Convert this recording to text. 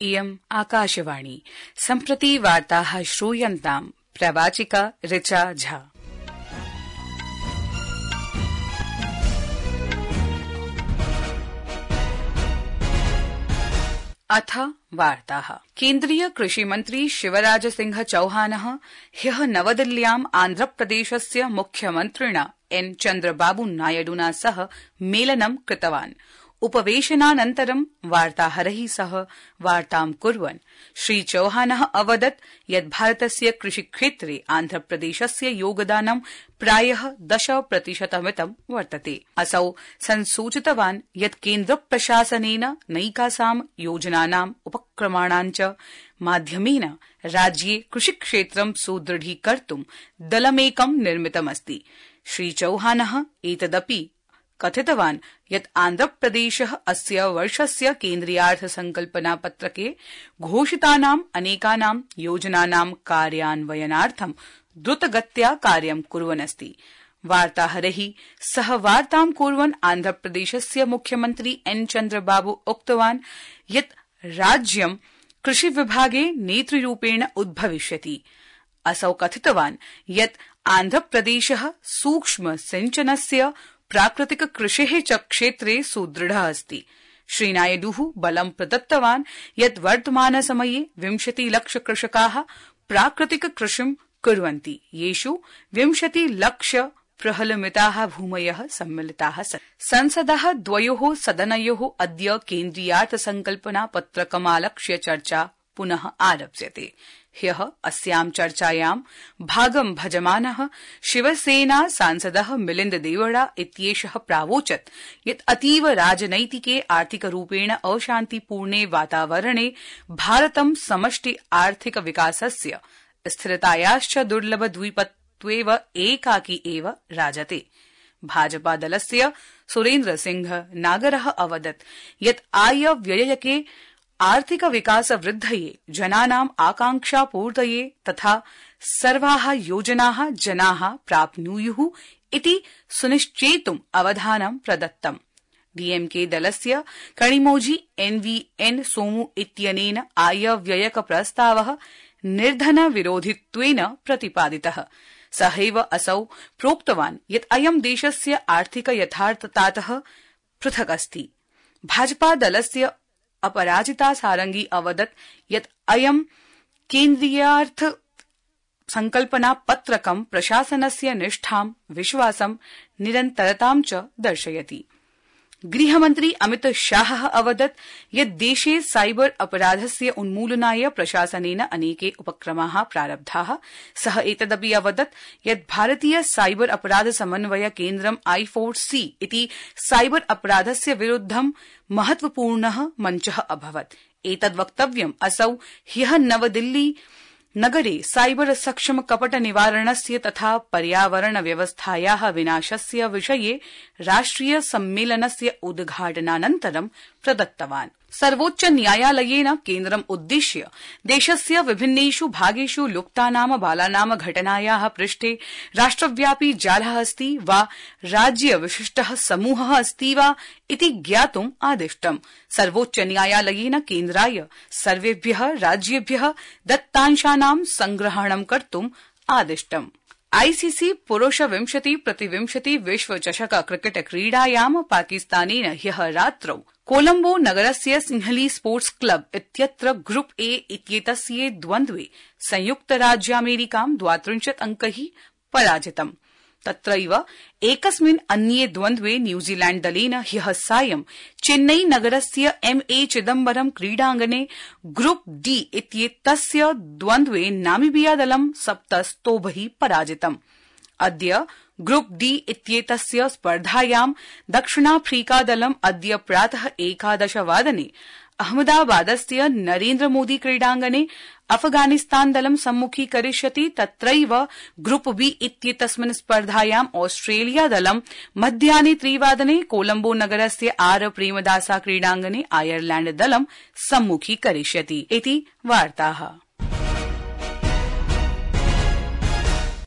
इयम् आकाशवाणी। सम्प्रति वार्ताः श्रूयन्ताम्। प्रवाचिका ऋचा झा। अथ वार्ताः। केन्द्रीय कृषिमन्त्री शिवराज सिंह चौहानः ह्यः नवदिल्ल्याम् आन्ध्रप्रदेशस्य मुख्यमन्त्रिणा एन चन्द्रबाबू नायडुना सह मेलनं कृतवान्। उपवेशनानन्तरं वार्ताहरैः सह वार्तां कुर्वन् श्री चौहानः अवदत् यत् भारतस्य कृषिक्षेत्रे आन्ध्रप्रदेशस्य योगदानं प्रायः 10% वर्तते। असौ संसूचितवान् यत् केन्द्रप्रशासनेन नैकासां योजनानाम् उपक्रमाणां च माध्यमेन राज्ये कृषिक्षेत्रं सुदृढीकर्तुं दलमेकं निर्मितमस्ति। श्री चौहानः एतदपि कथितवान् यत् आन्ध्रप्रदेशः अस्य वर्षस्य केन्द्रीयार्थसंकल्पनापत्रके घोषितानाम् अनेकानां योजनानां कार्यान्वयनार्थं द्रुतगत्या कार्यं कुर्वन् अस्ति। वार्ताहरैः सह वार्तां कुर्वन् आन्ध्रप्रदेशस्य मुख्यमन्त्री एन चन्द्रबाबू उक्तवान् यत् राज्यं कृषिविभागे नेतृरूपेण उद्भविष्यति। असौ कथितवान् यत् आन्ध्रप्रदेशः सूक्ष्म सिंचनस्य प्राकृतिक कृषेः च क्षेत्रे सुदृढः अस्ति। श्रीनायडुः बलं प्रदत्तवान् यत् वर्तमानसमये 20 लक्ष कृषकाः प्राकृतिक कृषिं कुर्वन्ति, येषु 20 लक्ष प्रहलमिताः भूमयः सम्मिलिताः सन्ति। संसदः द्वयोः सदनयोः अद्य केन्द्रीयार्थसंकल्पना पत्रकमालक्ष्य चर्चा पुनः आरप्स्यते। ह्यः अस्यां चर्चायां भागं भजमानः शिवसेना सांसदः मिलिन्द देवड़ा इत्येषः प्रावोचत् यत् अतीव राजनैतिके आर्थिकरूपेण अशान्तिपूर्णे वातावरणे भारतं समष्टि आर्थिक विकासस्य स्थिरतायाश्च दुर्लभद्वीपत्वेव एकाकी एव राजते। भाजपादलस्य सुरेन्द्र सिंह नागरः अवदत् यत् आय व्ययके आर्थिक विकास वृद्धये, जनानाम् आकांक्षापूर्तये तथा सर्वाः योजनाः जनाः प्राप्नुयुः इति सुनिश्चेतुम् अवधानं प्रदत्तम्। डीएमके दलस्य कणिमोझी एनवीएन सोमू इत्यनेन आयव्ययक प्रस्तावः निर्धन विरोधित्वेन प्रतिपादितः। सहैव असौ प्रोक्तवान् यत् अयं देशस्य आर्थिक यथार्थतातः पृथक् अस्ति। भाजपा दलस्य अपराजिता सारंगी अवदत् यत् अयं केन्द्रीयार्थ संकल्पना पत्रकं प्रशासनस्य निष्ठां, विश्वासं, निरन्तरतां च दर्शयति। गृहमन्त्री अमित शाहः अवदत् यत् देशे साइबर अपराधस्य उन्मूलनाय प्रशासनेन अनेके उपक्रमाः प्रारब्धाः। सः एतदपि अवदत् यत् भारतीय साइबर अपराध समन्वय केन्द्रं I4C इति साइबर अपराधस्य विरुद्धं महत्वपूर्णः मञ्चः अभवत्। एतद्वक्तव्यम् असौ ह्यः नवदिल्ली नगरे साइबर सक्षम कपट निवारणस्य तथा पर्यावरण व्यवस्थायाः विनाशस्य विषये राष्ट्रिय सम्मेलनस्य उद्घाटनानन्तरं प्रदत्तवान्। सर्वोच्च न्यायालयेन केन्द्रम् उद्दिश्य देशस्य विभिन्नेषु भागेषु लुप्तानाम बालानाम घटनायाः पृष्ठे राष्ट्रव्यापी जालः अस्ति वा राज्य विशिष्टः समूहः अस्ति वा इति ज्ञातुम् आदिष्टम्। सर्वोच्च न्यायालयेन केन्द्राय सर्वेभ्यः राज्येभ्यः दत्तांशानां संग्रहणं कर्तुम् आदिष्टम्। आईसीसी पुरुष 20x20 विश्वचषक क्रिकेट क्रीडायां पाकिस्तानेन ह्यः रात्रौ कोलम्बो नगरस्य सिंहली स्पोर्ट्स क्लब इत्यत्र ग्रुप ए इत्येतस्य द्वन्द्वे संयुक्तराज्यामेरिकां 32 अंकैः पराजितम्। तत्रैव एकस्मिन् अन्ये द्वन्द्वे न्यूजीलैण्ड दलेन ह्यः सायं चेन्नई नगरस्य MA चिदम्बरम क्रीडाङ्गणे ग्रुप डी इत्येतस्य द्वन्द्वे नामीबिया दलं 7 स्तोभैः पराजितम्। अद्य ग्रुप डी इत्येतस्य स्पर्धायां दक्षिणाफ्रीका दलं अद्य प्रातः 11 वादने अहमदाबादस्य नरेन्द्र मोदी क्रीडाङ्गणे अफगानिस्तान दलं सम्मुखीकरिष्यति। तत्रैव ग्रुप बी इत्येतस्मिन् स्पर्धायां ऑस्ट्रेलिया दलं मध्याह्ने 3 वादने कोलम्बो नगरस्य आर प्रेमदासा क्रीडाङ्गणे आयरलैण्ड दलं सम्मुखीकरिष्यति इति वार्ताः।